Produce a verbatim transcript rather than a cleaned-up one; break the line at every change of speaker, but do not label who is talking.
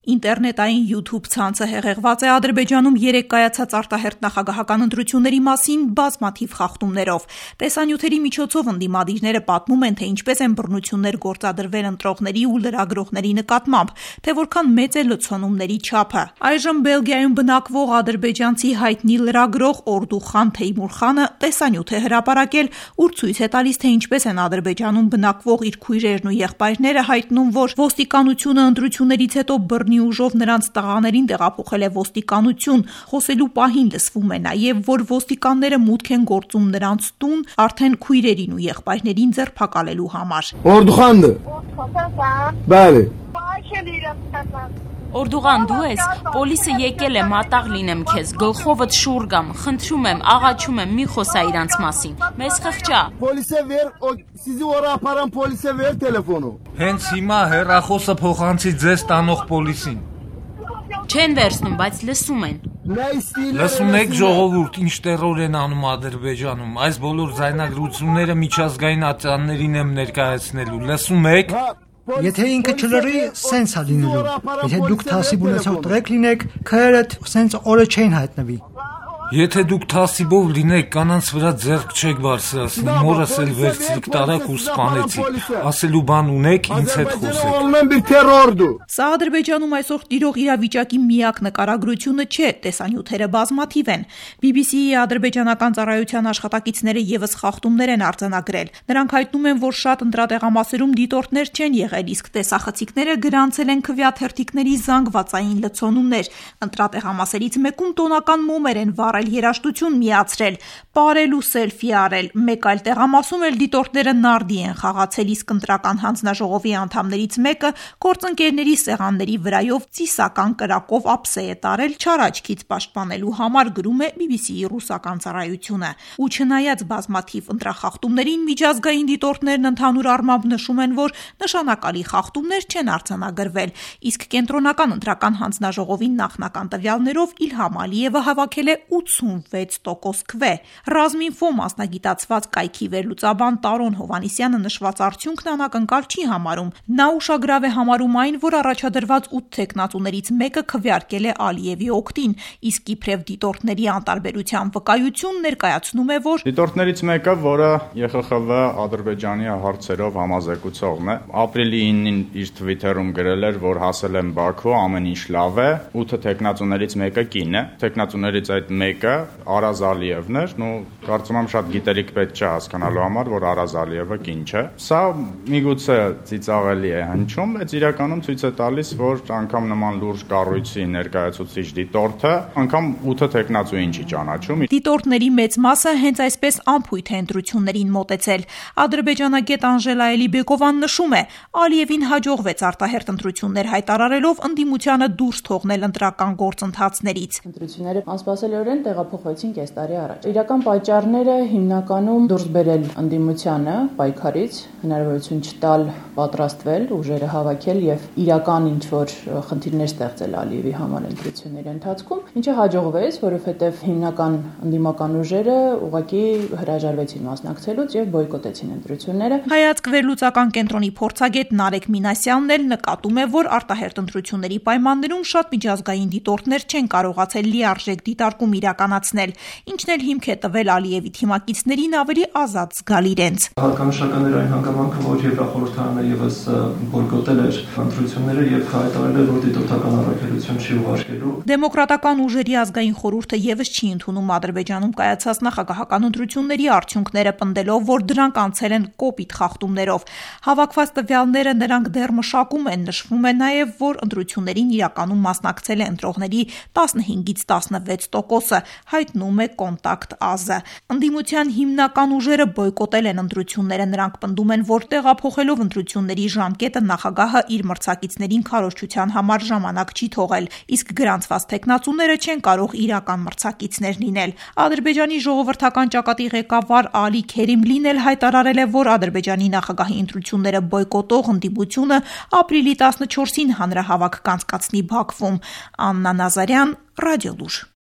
Ինտերնետային YouTube ցանցը հեղեղված է Ադրբեջանում երեկ կայացած արտահերթ նախագահական ընտրությունների մասին բազմաթիվ խախտումներով։ Տեսանյութերի միջոցով ընդդիմադիրները պատմում են, թե ինչպես են բռնություններ գործադրվել ընտրողների ու լրագրողների նկատմամբ, թե որքան մեծ է լցոնումների չափը։ Այժմ Բելգիայում բնակվող ադրբեջանցի հայտնի լրագրող Օրդուխան Թեյմուրխանը տեսանյութ է հրապարակել, ուր ցույց է տալիս, թե ինչպես են Ադրբեջանում բնակվող իր քույրերն ու եղբայրները հայտնում, որ ոստիկանությունը ընտրություններից հետո բռնի ուժով նրանց տղաներին տեղափոխել է ոստիկանություն, խոսելու պահին լսվում է նաև, որ ոստիկանները մուտք են գործում նրանց տուն արդեն քույրերին ու եղբայրներին ձերբակալելու համար։
Օրդուխանն Բալի
Օրդուղան, դու ես, պոլիսը եկել է, մատաղ լինեմ քեզ, գլխովդ շուռ գամ, խնդրում եմ, աղաչում եմ, մի խոսա իրանց մասին, մեզ խղճա։
Պոլիսը վեր, սիզի օրա ապարան պոլիսը վեր տելեֆոնու։
Հենց հիմա հեռախոսը փոխանցի ձեզ տանող պոլիսին։
Չեն վերցնում, բայց լսում են։
Լսում եք ժողովուրդ, ինչ տերոր են անում Ադրբեջանում, այս բոլոր ձայնագրությունները միջազգային ատյաններին եմ ներկայացնելու, լսում եք։
Եթե ինքը չլրի, սենց է լինելու։ Եթե դուք թասիբ ունեցող տղեկ լինեք, քրերդ սենց օրը չեն հայտնվի։
Եթե դուք թասիբով լինեք, կանանց վրա ձեռք չեք բարձրացնի, մորս էլ վերցրիք տարակ ու սպանեցիք, ասելու բան ունեք, ինձ հետ խոսեք։
Սա Ադրբեջանում այսօր տիրող իրավիճակի միակ նկարագրությունը չէ, տեսանյութերը բազմաթիվ են։ բի բի սի-ի ադրբեջանական ծառայության աշխատակիցները ևս խախտումներ են արձանագրել։ Նրանք հայտնում են, որ շատ ընտրատեղամասերում դիտորդներ չեն եղել, իսկ տեսախցիկները գրանցել են քվեաթերթիկների զանգվածային լցոնումներ։ Ընտրատեղամասերից մեկում տոնական մոմեր են վառել երաժշտություն միացրել, պարել ու սելֆի արել, մեկ այլ տեղամասում էլ դիտորդները նարդի են խաղացել, իսկ ընտրական հանձնաժողովի անդամներից մեկը գործընկերների սեղանների վրայով ծիսական կրակով ափսե է տարել չարաչքից պաշտպանելու համար, գրում է բի բի սի-ի ռուսական ծառայությունը։ Ու չնայած բազմաթիվ ընտրախախտումներին, միջազգային դիտորդներն ընդհանուր առմամբ նշում են, որ նշանակալի խախտումներ չեն արձանագրվել, իսկ կենտրոնական ընտրական հանձնաժողովի նախնական տվյալներով Իլհամ Ալիևը հավաքել է ութսունվեց տոկոս քվե։ Ռազմինֆո մասնագիտացված կայքի վերլուծաբան Տարոն Հովհաննիսյանը նշված արդյունքն անակնկալ չի համարում։ Նա ուշագրավ է համարում այն, որ առաջադրված ութ թեկնածուներից մեկը քվեարկել է Ալիևի օգտին, իսկ իբրև դիտորդների անտարբերության վկայություն ներկայացնում է, որ
դիտորդներից մեկը, որը Ե Խ Խ Վ Ադրբեջանի հարցերով համազեկուցողն է, ապրիլի իննին իր Twitter-ում գրել էր, որ հասել եմ Բաքու, ամեն ինչ լավ է, ութ թեկնածուներից մեկը կին է, թեկնածուներից այդ մեկը Արազ Ալիևն էր, ու կարծում եմ շատ գիտելիք պետք չէ հասկանալու համար, որ Արազ Ալիևը կին չէ։ Սա միգուցե ծիծաղելի է հնչում, բայց իրականում ցույց է տալիս, որ անգամ նման լուրջ կառույցի ներկայացուցիչ դիտորդը անգամ ութ թեկնածուին չի ճանաչում։
Դիտորդների մեծ մասը հենց այսպես անփույթ է ընտրություններին մոտեցել։ Ադրբեջանագետ Անժելա Էլիբեկովան նշում է, Ալիևին հաջողվեց արտահերթ ընտրություններ հայտարարելով ընդդիմությանը դուրս թողնել ընտրական գործընթացներից։
Ընտրությունները անսպասելիորեն տեղափոխվեցին կես տարի առաջ։ Իրական պատճառները հիմնականում դուրս բերել ընդդիմությանը պայքարից, հնարավորություն չտալ պատրաստվել, ուժերը հավաքել եւ իրական ինչ-որ խնդիրներ ստեղծել Ալիևի համար ընտրությունների ընթացքում, ինչը հաջողվեց, որովհետեւ հիմնական ընդդիմական ուժերը ուղղակի հրաժարվեցին մասնակցելուց եւ բոյկոտեցին ընտրությունները։
Հայացք վերլուծական կենտրոնի փորձագետ Նարեկ Մինասյանն էլ նկատում է, որ արտահերթ ընտրությունների պայմաններում շատ միջազգային դիտորդներ չեն կարողացել լիարժեք դիտարկում իրականացնել, ինչն էլ հիմք է տվել Ալիևի թիմակիցներին ավելի ազատ զգալ իրենց։
Հատկանշական էր այն հանգամանքը, որ Եվրախորհրդարանը ևս բոյկոտել էր ընտրությունները եւ հայտարարել էր, որ դիտորդական առաքելություն չի ուղարկելու։
Դեմոկրատական ուժերի ազգային խորհուրդը ևս չի ընդունում Ադրբեջանում կայացած նախագահական ընտրությունների արդյունքները, պնդելով, որ դրանք անցել են կոպիտ խախտումներով։ Հավաքված տվյալները նրանք դեռ մշակում են, նշվում է նաև, որ ընտրություններին իրականում մասնակցել է ընտրողների տասնհինգից տասնվեց տոկոսը, հայտնում է Կոնտակտ ազը։ Ընդդիմության հիմնական ուժերը բոյկոտել են ընտրությունները, նրանք պնդում են, որ տեղափոխելով ընտրությունների ժամկետը նախագահը իր մրցակիցներին քարոզչության համար ժամանակ չի թողել, իսկ գրանցված թեկնածուները չեն կարող իրական մրցակիցներ լինել։ Ադրբեջանի ժողովրդական ճակատի ղեկավար Ալի Քերիմլին էլ հայտարարել է, որ Ադրբեջանի նախագահի ընտրությունները բոյկոտող ընդդիմությունը ապրիլի տասնչորսին հանրահավաք կանցկացնի Բաքվում։ Աննա Նազարյան, Ռադիոլուր։